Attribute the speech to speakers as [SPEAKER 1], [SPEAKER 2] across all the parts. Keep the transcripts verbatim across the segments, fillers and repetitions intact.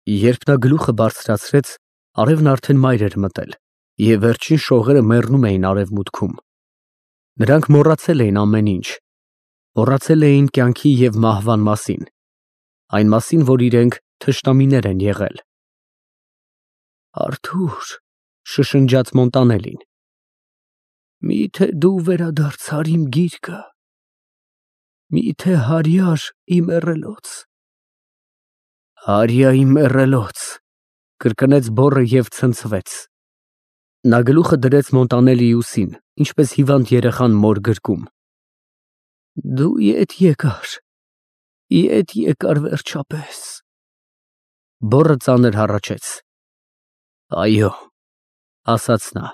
[SPEAKER 1] Երբ նա գլուխը բարձրացրեց, արևն արդեն մայր էր մտել, և վերջին շողերը մեռնում էին արևմուտքում։ Նրանք մոռացել էին ամեն ինչ, մոռացել էին կյանքի և մահվան մասին, այն մասին, որ իրենք թշնամիներ են եղել։ Արթուր, շշնջաց Մոնտանելին, մի՞թե դու վերադարձար իմ գիրկը, մի՞թե հարյար իմ մեռելոց։ Հարյա իմ մեռելոց, կրկնեց բոռը և ցնցվեց։ Նա գլուխը դրեց Մոնտանելիի ուսին, ինչպես հիվանդ երեխան մոր գրկում։ Դու ետ եկար, ետ եկար վերջապես։ Բոռը ծանր հառաչեց։ Այո, ասաց նա,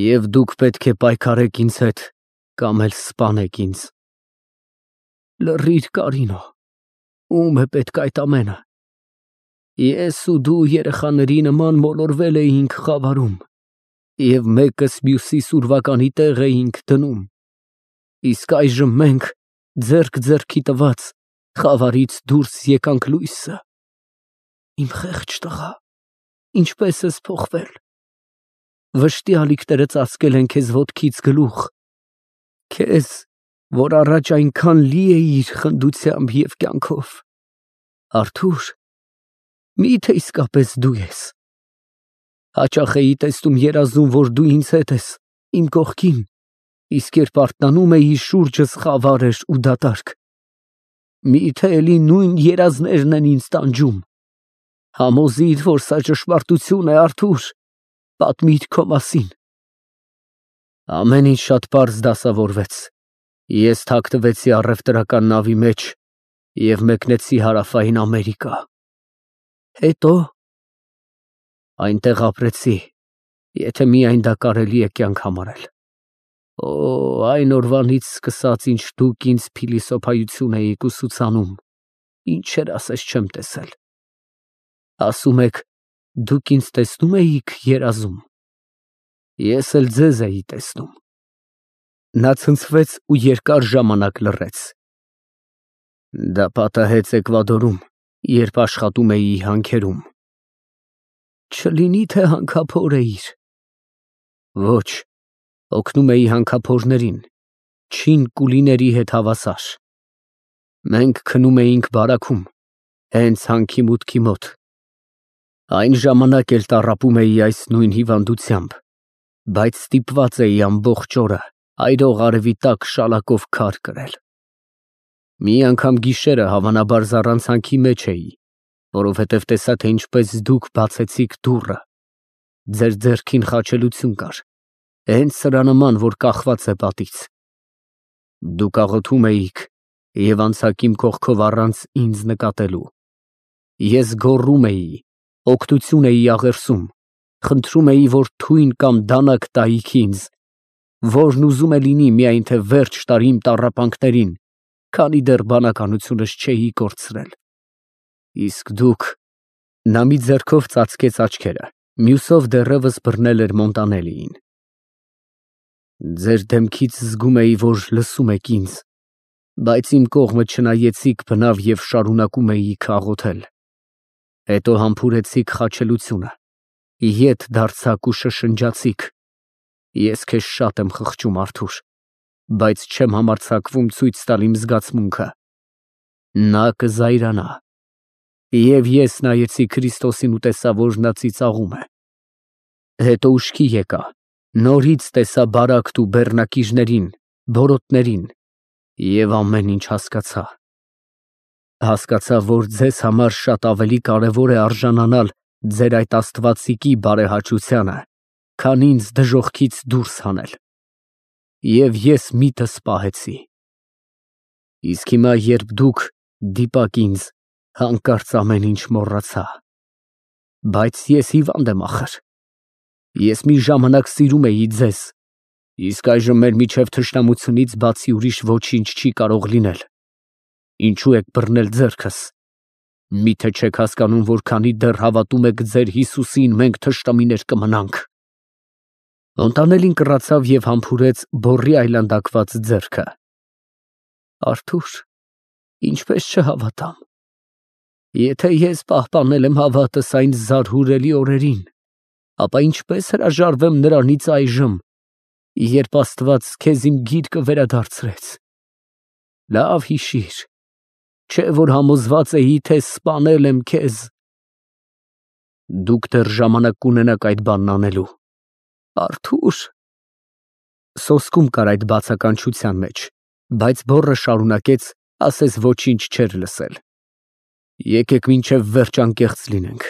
[SPEAKER 1] և դուք պետք է պայքարեք ինձ հետ կամ էլ սպանեք ինձ։ Լռիր, Կարինո, ո՞ւմ է պետք այդ ամենը։ Ես ու դու երեխաների նման մոլորվել էինք խավարում և մեկս մյուսիս ուրվականի տեղ էինք դնում, իսկ այժմ մենք, ձեռք ձեռքի տված, խավարից դուրս եկանք լույսը։ Իմ խեղճ տղա, ինչպե՞ս ես փոխվել։ Վշտի ալիքները ծածկել են քեզ ոտքից գլուխ, քեզ, որ առաջ այնքան լի էիր խնդությամբ և կյանքով։ Արթուր, մի՞թե իսկապես դու ես։ Հաճախ էի տեսնում երազում, որ դու ինձ հետ ես, իմ կողքին, իսկ երբ արթնանում էի, շուրջս խավար էր ու դատարկ։ Մի՞թե էլի նույն երազներն են ինձ տանջում։ Համոզիր, որ սա ճշմարտություն է, Արթուր, պատմիր քո մասին։ Ամեն ինչ շատ պարզ դասավորվեց։ Ես թաքնվեցի առևտրական նավի մեջ և մեկնեցի Հարավային Ամերիկա։ Հետո՞։ Այնտեղ ապրեցի, եթե միայն դա կարելի է կյանք համարել։ Օ, այն օրվանից սկսած, ինչ դուք ինձ փիլիսոփայություն էիք ուսուցանում, ինչեր ասես չեմ տեսել։ Ասում եք, դուք ինձ տեսնո՞ւմ էիք երազում։ Ես էլ ձեզ էի տեսնում։ Նա ցնցվեց ու երկար ժամանակ լռեց։ Դա պատահեց Էկվադորում, երբ աշխատում էի հանքերում։ Չլինի թե հանքափոր էիր։ Ոչ, օգնում էի հանքափորներին, չին կուլիների հետ հավասար։ Մենք քնում էինք բարաքում, հենց հանքի մուտքի մոտ։ Այն ժամանակ էլ տառապում էի այս նույն հիվանդությամբ, բայց ստիպված էի ամբողջ օրը այրող արևի տակ շալակով քար կրել։ Մի անգամ գիշերը հավանաբար զառանցանքի մեջ էի, որովհետև տեսա, թե ինչպես դուք բացեցիք դուռը։ Ձեր ձեռքին խաչելություն կար, հենց սրա նման, որ կախված է պատից։ Դուք աղոթում էիք և անցաք իմ կողքով առանց ինձ նկատելու։ Ես գոռում էի, օգնություն էի աղերսում, խնդրում էի, որ թույն կամ դանակ տայիք ինձ, որն ուզում է լինի, միայն թե վերջ տար իմ տառապանքներին, քանի դեռ բանականությունս չէի կորցրել։ Իսկ դուք… Նա մի ձեռքով ծածկեց աչքերը, մյուսով դեռևս բռնել էր Մոնտանելիին։ Ձեր դեմքից զգում էի, որ լսում եք ինձ, բայց իմ կողմը չնայեցիք բնավ և շարունակում էիք աղոթել։ Հետո համբուրեցիք խաչելությունը, ետ դարձաք ու շշնջացիք. Ես քեզ շատ եմ խղճում, Արթուր, բայց չեմ համարձակվում ցույց տալ իմ զգացմունքը։ Նա կզայրանա։ Եվ ես նայեցի Քրիստոսին ու տեսա, որ նա ծիծաղում է։ Հետո ուշքի եկա, նորից տեսա բարակտ ու բեռնակիրներին, բորոտներին և ամեն ինչ հասկացա։ Հասկացա, որ ձեզ համար շատ ավելի կարևոր է արժանանալ ձեր այդ աստվածիկի բարեհաճությանը, քան ինձ դժոխքից դուրս հանել։ Եվ ես միտս պահեցի։ Իսկ հիմա, երբ դուք դիպաք ինձ, հանկարծ ամեն ինչ մոռացա։ Բայց ես հիվանդ եմ ախր։ Ես մի ժամանակ սիրում էի ձեզ, իսկ այժմ մեր միջև թշնամությունից բացի ուրիշ ոչինչ չի կարող լինել։ Ինչու եք բռնել ձեռքս։ Միթե չեք հասկանում, որ քանի դեռ հավատում եք ձեր Հիսուսին, մենք թշնամիներ կմնանք։ Մոնտանելին կռացավ և համբուրեց բոռի այլանդակված ձեռքը։ Արթուր, ինչպես չհավատամ։ Եթե ես պահպանել եմ հավատս այն զարհուրելի օրերին, ապա ինչպես հրաժարվեմ նրանից այժմ, երբ Աստված քեզ իմ գիրկը վերադարձրեց։ Լավ հիշիր, չէ որ համոզված էի, թե սպանել եմ քեզ։ Դուք դեռ ժամանակ կունենաք այդ բանն անելու։ Արթուր։ Սոսկում կար այդ բացականչության մեջ, բայց բոռը շարունակեց, ասես ոչինչ չէր լսել։ Եկեք մինչև վերջ անկեղծ լինենք։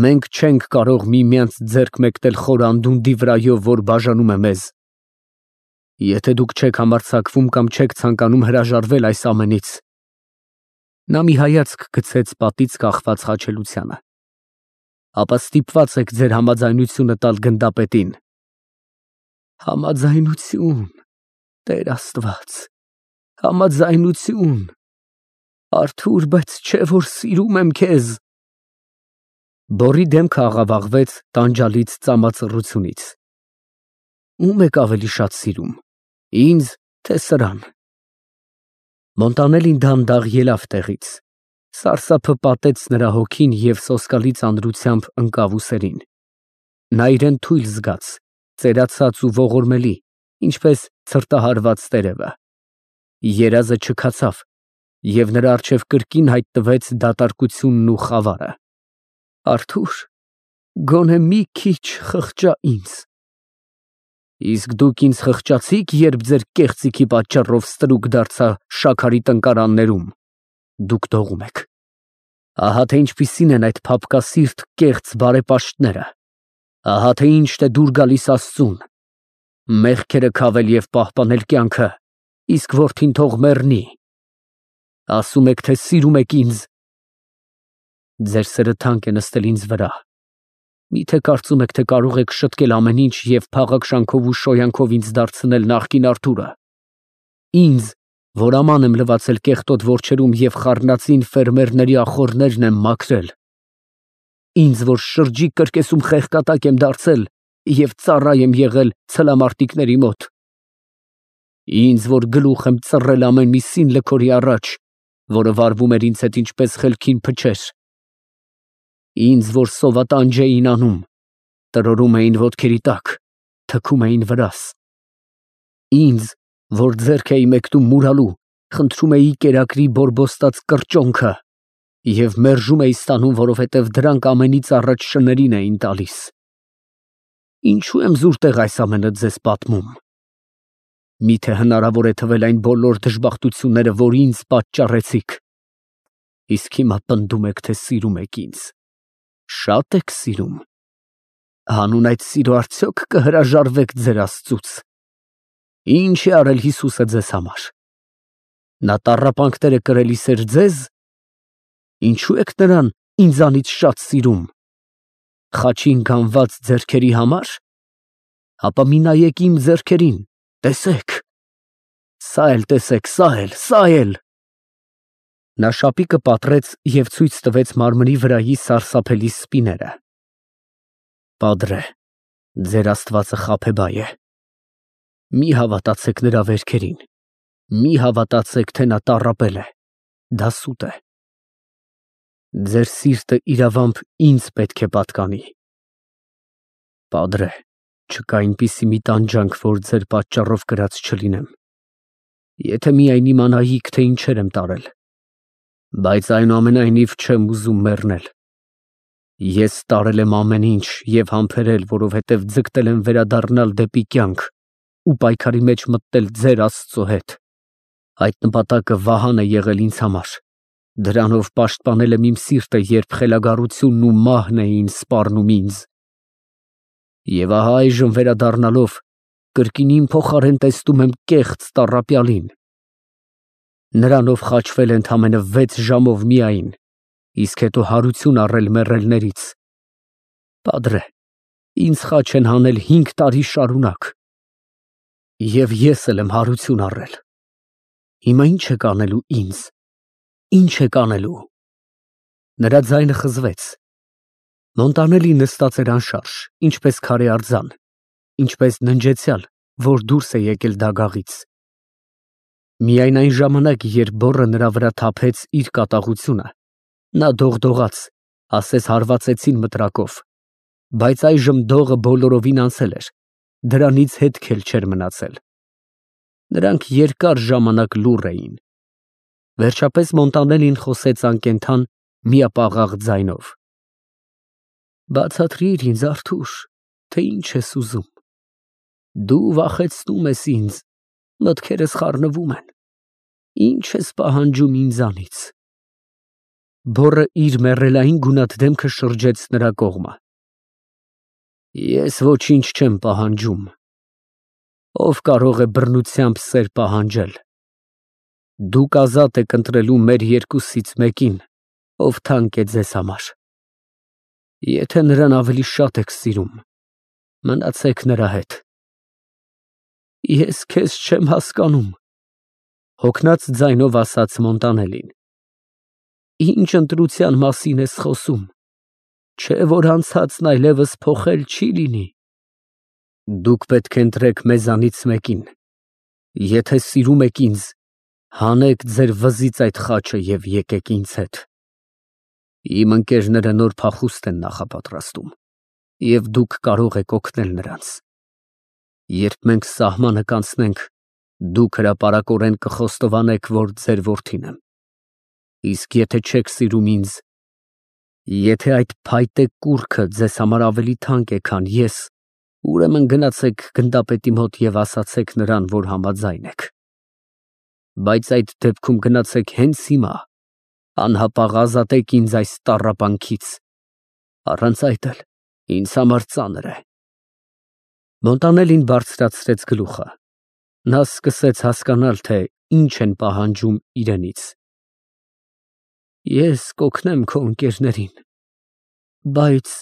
[SPEAKER 1] Մենք չենք կարող միմյանց ձեռք մեկնել խոր անդունդի վրայով, որ բաժանում է մեզ։ Եթե դուք չեք համարձակվում կամ չեք ցանկանում հրաժարվել այս ամենից։ Նա մի հայացք գցեց պատից կախված խաչելությանը։ Ապա ստիպված եք ձեր համաձայնությունը տալ գնդապետին։ Համաձայնություն, Տեր Աստված, համաձայնություն, Արթուր, բայց չէ որ սիրում եմ քեզ։ Բորի դեմքը աղավաղվեց տանջալից ծամածռությունից։ Ում եք ավելի շատ սիրում, ինձ, թե սրան։ Մոնտանելին դանդաղ ելավ տեղից, սարսափը պատեց նրա հոգին և սոսկալի ծանրությամբ ընկավ ուսերին։ Նա իրեն թույլ զգաց, ծերացած ու ողորմելի, ինչպես ցրտահարված տերևը։ Երազը չքացավ, և նրա առջև կրկին հայտնվեց դատարկությունն ու խավարը։ Արթուր, գոնե մի քիչ խղճա ինձ։ Իսկ դուք ինձ խղճացի՞ք, երբ ձեր կեղծիքի պատճառով ստրուկ դարձա շաքարի տնկարաններում։ Դուք դողում եք։ Ահա թե ինչպիսին են այդ փափկասիրտ կեղծ բարեպաշտները։ Ահա թե ինչ է դուր գալիս Աստծուն։ Մեղքերը քավել և պահպանել կյանքը, իսկ որդին թող մեռնի։ Ասում եք, թե սիրում եք ինձ։ Ձեր սերը թանկ է նստել ինձ վրա։ Միթե կարծում եք, թե կարող եք շտկել ամեն ինչ և փաղաքշանքով ու շոյանքով ինձ դարձնել նախկին Արթուրը։ Ինձ, որ աման եմ լվացել կեղտոտ որջերում և խառնածին ֆերմերների ախոռներն եմ մաքրել։ Ինձ, որ շրջիկ կրկեսում խեղկատակ եմ դարձել և ծառա եմ եղել ցլամարտիկների մոտ։ Ինձ, որ գլուխ եմ ծռել ամեն մի սին լքորի առաջ, որը վարվում էր ինձ հետ ինչպես խելքին փչեր։ Ինձ, որ սովատանջ էին անում, տրորում էին ոտքերի տակ, թքում էին վրաս։ Ինձ, որ ձեռք էի մեկնում մուրալու, խնդրում էի կերակրի բորբոստած կրճոնքը և մերժում էի ստանում, որովհետև դրանք ամենից առաջ շներին էին տալիս։ Ինչու եմ զուր տեղ այս ամենը ձեզ պատմում։ Միթե հնարավոր է թվել այն բոլոր դժբախտությունները, որ ինձ պատճառեցիք։ Իսկ հիմա պնդում եք, թե սիրում եք ինձ։ Շատ եք սիրում։ Հանուն այդ սիրո արդյոք կհրաժարվեք ձեր Աստծուց։ Ինչ է արել Հիսուսը ձեզ համար։ Նա տառապանքներ է կրելիս էր ձեզ։ Ինչու եք նրան ինձանից շատ սիրում։ Խաչին գանված ձեռքերի համար։ Ապա մի նայեք իմ ձեռքերին, տեսեք։ Սա էլ տեսեք, սա էլ, սա էլ։ Նա շապիկը պատռեց և ցույց տվեց մարմնի վրայի սարսափելի սպիները։ Պատրե, ձեր Աստվածը խաբեբայ է։ Մի հավատացեք նրա վերքերին, մի հավատացեք, թե նա տառապել է, դա սուտ է։ Ձեր սիրտը իրավամբ ինձ պետք է պատկանի։ Պատրե, չկա այնպիսի մի տանջանք, որ ձեր պատճառով կրած չլինեմ։ Եթե միայն իմանայիք, թե ինչեր եմ տարել, բայց այնուամենայնիվ չեմ ուզում մեռնել։ Ես տարել եմ ամեն ինչ և համբերել, որովհետև ձգտել եմ վերադառնալ դեպի կյանք ու պայքարի մեջ մտնել ձեր Աստծո հետ։ Այդ նպատակը վահան է եղել ինձ համար։ Դրանով պաշտպանել եմ իմ սիրտը, երբ խելագարությունն ու մահն էին սպառնում ինձ։ Եվ ահա այժմ վերադառնալով, կրկին իմ փոխարեն տեսնում եմ կեղծ տառապյալին։ Նրանով խաչվել է ընդամենը վեց ժամով միայն, իսկ հետո հարություն առել մեռելներից։ Պատրե, ինձ խաչ են հանել հինգ տարի շարունակ։ Եվ ես էլ եմ հարություն առել։ Հիմա ի՞նչ եք անելու ինձ։ Ի՞նչ եք անելու։ Նրա ձայնը խզվեց։ Մոնտանելին նստած էր անշարժ, ինչպես քարե արձան, ինչպես ննջեցյալ, որ դուրս է եկել դագաղից։ Միայն այն ժամանակ, երբ բոռը նրա վրա թափեց իր կատաղությունը, Նա դողդողաց, ասես հարվածեցին մտրակով, բայց այժմ դողը բոլորովին անցել էր, դրանից հետք էլ չէր մնացել։ Նրանք երկար ժամանակ լուռ էին։ Վերջապես Մոնտանելին խոսեց անկենդան միապաղաղ ձայնով. Բացատրիր ինձ, Արթուր, թե ինչ ես ուզում։ Դու վախեցնում ես ինձ, մտքերս խառնվում են։ Ինչ ես պահանջում ինձանից։ Բոռը իր մեռելային գունատ դեմքը շրջեց նրա կողմը։ Ես ոչինչ չեմ պահանջում։ Ով կարող է բռնությամբ սեր պահանջել։ Դուք ազատ եք ընտրելու մեր երկուսից մեկին, ով թանկ է ձեզ համար։ Եթե նրան ավելի շատ եք սիրում, մնացեք նրա հետ։ Ես քեզ չեմ հասկանում, հոգնած ձայնով ասաց Մոնտանելին։ Ինչ ընտրության մասին ես խոսում, չէ որ անցածն այլևս փոխել չի լինի։ Դուք պետք է ընտրեք մեզանից մեկին։ Եթե սիրում եք ինձ, հանեք ձեր վզից այդ խաչը և եկեք ինձ հետ։ Իմ ընկերները նոր փախուստ են նախապատրաստում, և դուք կարող եք օգնել նրանց։ Երբ մենք սահմանը կանցնենք, դուք հրապարակորեն կխոստովանեք, որ ձեր որդին եմ։ Իսկ եթե չեք սիրում ինձ, եթե այդ փայտե կուռքը ձեզ համար ավելի թանկ է, քան ես, ուրեմն գնացեք գնդապետի մոտ և ասացեք նրան, որ համաձայն եք։ Բայց այդ դեպքում գնացեք հենց հիմա, անհապաղ ազատեք ինձ այս տառապանքից, առանց այդ էլ ինձ համար ծանր է։ Մոնտանելին բարձրացրեց գլուխը։ Նա սկսեց հասկանալ, թե ինչ են պահանջում իրենից։ Ես կօգնեմ քո ընկերներին, բայց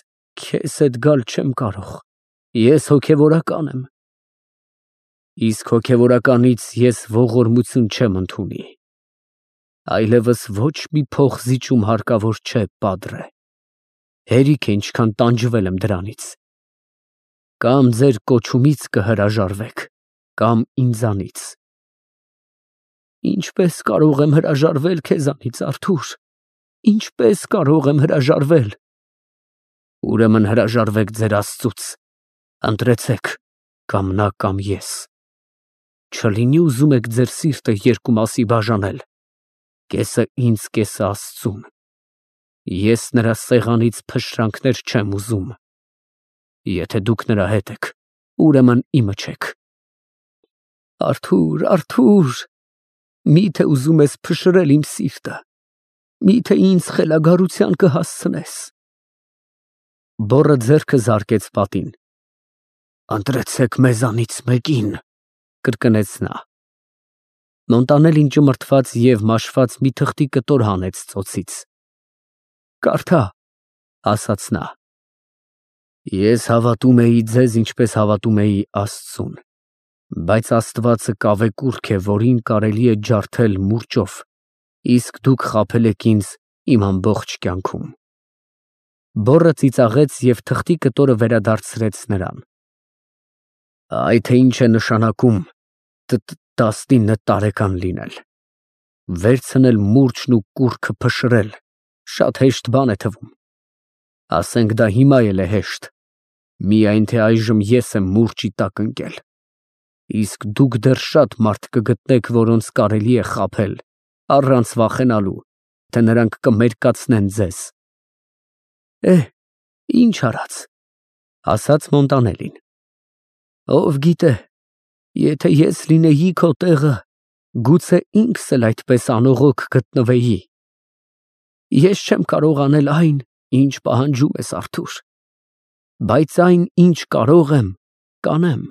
[SPEAKER 1] քեզ հետ գալ չեմ կարող, ես հոգևորական եմ։ Իսկ հոգևորականից ես ողորմություն չեմ ընդունի։ Այլևս ոչ մի փոխզիջում հարկավոր չէ, պատրե։ Հերիք է ինչքան տանջվել եմ դրանից։ Կամ ձեր կոչումից կհրաժարվեք, կամ ինձանից։ Ինչպես կարող եմ հրաժարվել քեզանից, Արթուր, ինչպես կարող եմ հրաժարվել։ Ուրեմն հրաժարվեք ձեր Աստծուց, ընտրեցեք, կամ նա, կամ ես։ Չլինի ուզում եք ձեր սիրտը երկու մասի բաժանել, կեսը ինձ, կեսը Աստծուն։ Ես նրա սեղանից փշրանքներ չեմ ուզում։ Եթե դուք նրա հետ եք, ուրեմն իմը չեք։ Արթուր, Արթուր, միթե ուզում ես փշրել իմ սիրտը, միթե ինձ խելագարության կհասցնես։ Բոռը ձեռքը զարկեց պատին։ Ընտրեցեք մեզանից մեկին, կրկնեց նա։ Մոնտանելին ճմրթված և մաշված մի թղթի կտոր հանեց ծոցից։ Կարդա, ասաց նա։ Ես հավատում էի ձեզ, ինչպես հավատում էի Աստծուն, բայց Աստվածը կավեկուռք է, որին կարելի է ջարդել մուրճով, իսկ դուք խաբել եք ինձ իմ ամբողջ կյանքում։ Բոռը ծիծաղեց և թղթի կտորը վերադարձրեց նրան։ Այ թե ինչ է նշանակում տասնինը տարեկան լինել։ Վերցնել մուրճն ու կուռքը փշրել, շատ հեշտ բան է թվում։ Ասենք դա հիմա էլ է հեշտ, միայն թե այժմ ես եմ մուրճի տակ ընկել։ Իսկ դուք դեռ շատ մարդ կգտնեք, որոնց կարելի է խաբել, առանց վախենալու, թե նրանք կմերկացնեն ձեզ։ Է, ինչ արած, ասաց Մոնտանելին։ Ով գիտե, եթե ես լինեի քո տեղը, գուցե ինքս էլ այդպես անողոք գտնվեի։ Ես չեմ կարող անել այն, ինչ պահանջում ես, Արթուր, բայց այն, ինչ կարող եմ, կանեմ։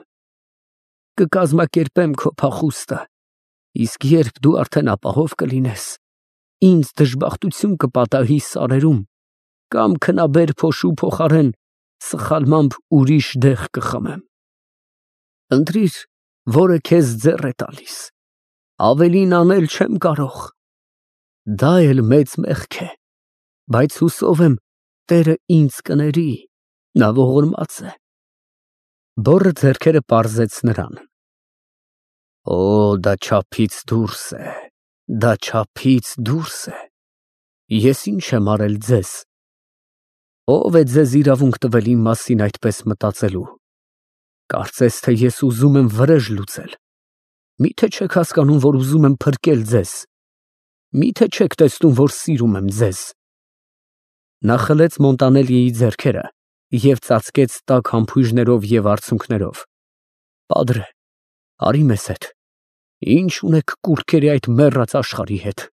[SPEAKER 1] Կկազմակերպեմ քո փախուստը, իսկ երբ դու արդեն ապահով կլինես, ինձ դժբախտություն կպատահի սարերում, կամ քնաբեր փոշու փոխարեն սխալմամբ ուրիշ դեղ կխմեմ։ Ընտրիր, որը քեզ ձեռ է տալիս, ավելին անել չեմ կարող։ Դա էլ մեծ մեղք է, բայց հուսով եմ, Տերը ինձ կների, նա ողորմած է։ Բոռը ձեռքերը պարզեց նրան։ Օ, դա չափից դուրս է, դա չափից դուրս է։ Ես ինչ եմ արել ձեզ։ Ո՞վ է ձեզ իրավունք տվել իմ մասին այդպես մտածելու։ Կարծես թե ես ուզում եմ վրեժ լուծել։ Միթե չեք հասկանում, որ ուզում եմ փրկել ձեզ։ Միթե չեք տեսնում, որ սիրում եմ ձեզ։ Նա խլեց Մոնտանելիի ձեռքերը և ծածկեց տաք համբույրներով և արցունքներով։ Պատրե, արի մեզ հետ։ Ինչ ունեք կուռքերի այդ մեռած աշխարհի հետ։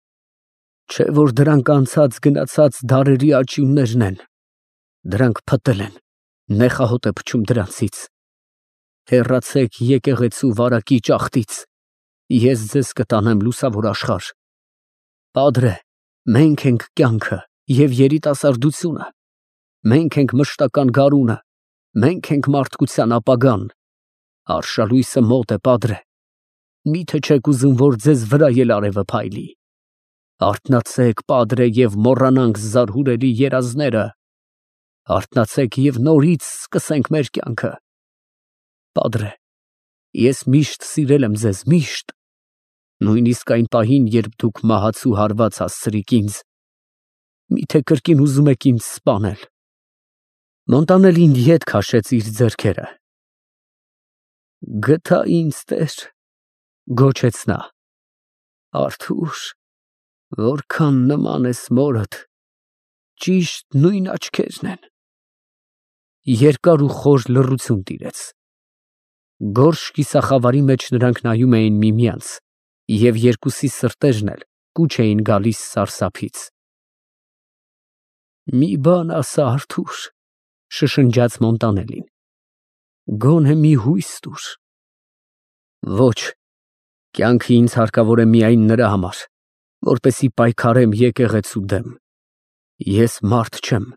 [SPEAKER 1] Չէ որ դրանք անցած գնացած դարերի աճյուններն են։ Դրանք փտել են, նեխահոտ է փչում դրանցից։ Հեռացեք եկեղեցու վարակիչ աղտից, ես ձեզ կտանեմ լուսավոր աշխարհ։ Պատրե, մենք ենք կյանքը և երիտասարդությունը, մենք ենք մշտական գարունը, մենք ենք մարդկության ապագան։ Արշալույսը մոտ է, պատրե, միթե չեք ուզում, որ ձեզ վրա էլ արևը փայլի։ Արթնացեք, պատրե, և մոռանանք զարհուրելի երազները։ Արթնացեք և նորից սկսենք մեր կյանքը։ Պատրե, ես միշտ սիրել եմ ձեզ, միշտ, նույնիսկ այն պահին, երբ դուք մահացու հարված հասցրիք ինձ, միթե կրկին ուզում եք ինձ սպանել։ Մոնտանելին ետ քաշեց իր ձեռքերը։ Գթա ինձ, Տեր, գոչեց նա։ Արթուր, որքան նման ես մորդ, ճիշտ նույն աչքերն են։ Երկար ու խոր լռություն տիրեց։ Գորշ կիսախավարի մեջ նրանք նայում էին միմյանց, և երկուսի սրտերն էլ կուչ էին գալիս սարսափից։ Մի բան ասա, Արթուր, շշնջաց Մոնտանելին, գոնե մի հույս տուր։ Ոչ, կյանքը ինձ հարկավոր է միայն նրա համար, որպեսզի պայքարեմ եկեղեցու դեմ։ Ես մարդ չեմ,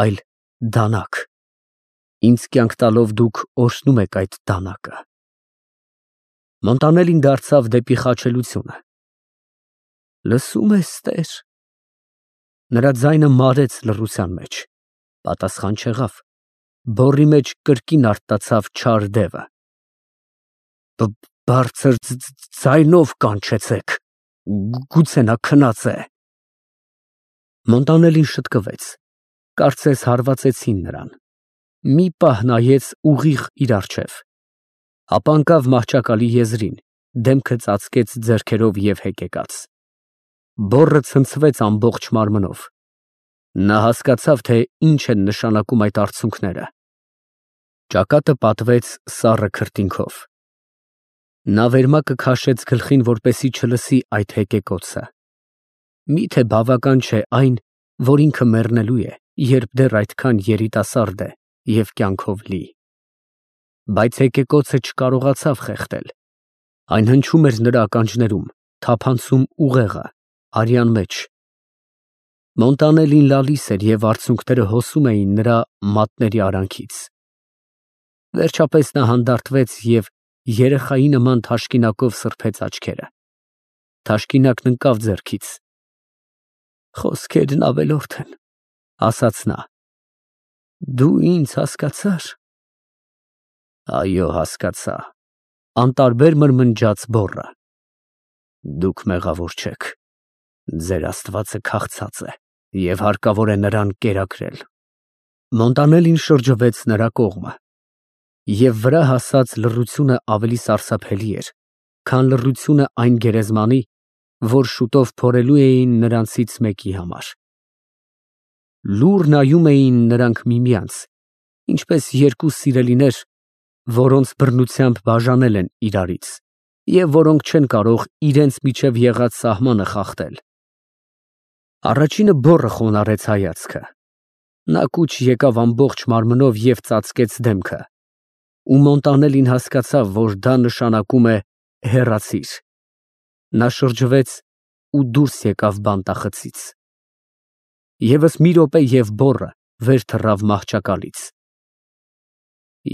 [SPEAKER 1] այլ դանակ։ Ինձ կյանք տալով դուք օրհնում եք այդ դանակը։ Մոնտանելին դարձավ դեպի խաչելությունը։ Լսո՞ւմ ես, Տեր։ Նրա ձայնը մարեց լռության մեջ, պատասխան չեղավ, բոռի մեջ կրկին արթնացավ չար դևը։ Բարձր ձայնով կանչեցեք, գուցե նա քնած է։ Մոնտանելին շտկվեց, կարծես հարվածեցին նրան։ Մի պահ նայեց ուղիղ իր առջև, ապա ընկավ մահճակալի եզրին, դեմքը ծածկեց ձեռքերով և հեկեկաց։ Բոռը ցնցվեց ամբողջ մարմնով։ Նա հասկացավ, թե ինչ են նշանակում այդ արցունքները։ Ճակատը պատվեց սառը քրտինքով։ Նա վերմակը քաշեց գլխին, որպեսզի չլսի այդ հեկեկոցը։ Միթե բավական չէ այն, որ ինքը մեռնելու է, երբ դեռ այդքան երիտասարդ է և կյանքով լի։ Բայց հեկեկոցը չկարողացավ խեղդել։ Այն հնչում էր նրա ականջներում, թափանցում ուղեղը, արյան մեջ։ Մոնտանելին լալիս էր և արցունքները հոսում էին նրա մատների արանքից։ Վերջապես նա հանդարտվեց և երեխայի նման թաշկինակով սրբեց աչքերը։ Թաշկինակն ընկավ ձեռքից։ Խոսքերն ավելորդ են, ասաց նա։ Դու ինձ հասկացա՞ր։ Այո, հասկացա, անտարբեր մրմնջաց բոռը։ Դուք մեղավոր չեք, ձեր Աստվածը քաղցած է և հարկավոր է նրան կերակրել։ Մոնտանելին շրջվեց նրա կողմը, և վրա հասած լռությունը ավելի սարսափելի էր, քան լռությունը այն գերեզմանի, որ շուտով փորելու էին նրանցից մեկի համար։ Լուռ նայում էին նրանք միմյանց, ինչպես երկու սիրելիներ, որոնց բռնությամբ բաժանել են իրարից, և որոնք չեն կարող իրենց միջև եղած սահմանը խախտել։ Առաջինը բոռը խոնարհեց հայացքը։ Նա կուչ եկավ ամբողջ մարմնով և ծածկեց դեմքը, ու Մոնտանելին հասկացավ, որ դա նշանակում է հեռացիր։ Նա շրջվեց ու դուրս եկավ բանտախցից։ Եվս մի րոպե և բոռը վեր թռավ մահճակալից։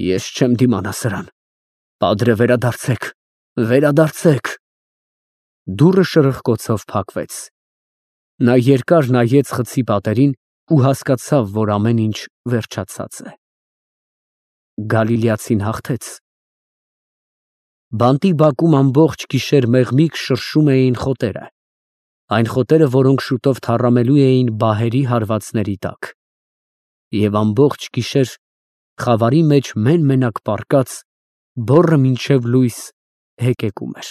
[SPEAKER 1] Ես չեմ դիմանա սրան, պատրե, վերադարձեք, վերադարձեք։ Դուռը շրխկոցով փակվեց։ Նա երկար նայեց խցի պատերին ու հասկացավ, որ ամեն ինչ վերջացած է։ Գալիլեացին հաղթեց։ Բանտի բակում ամբողջ գիշեր մեղմիկ շրշում էին խոտերը։ Այն խոտերը, որոնք շուտով թառամելու էին բահերի հարվածների տակ, և ամբողջ գիշեր խավարի մեջ մեն֊մենակ պառկած, բոռը մինչև լույս հեկեկում էր։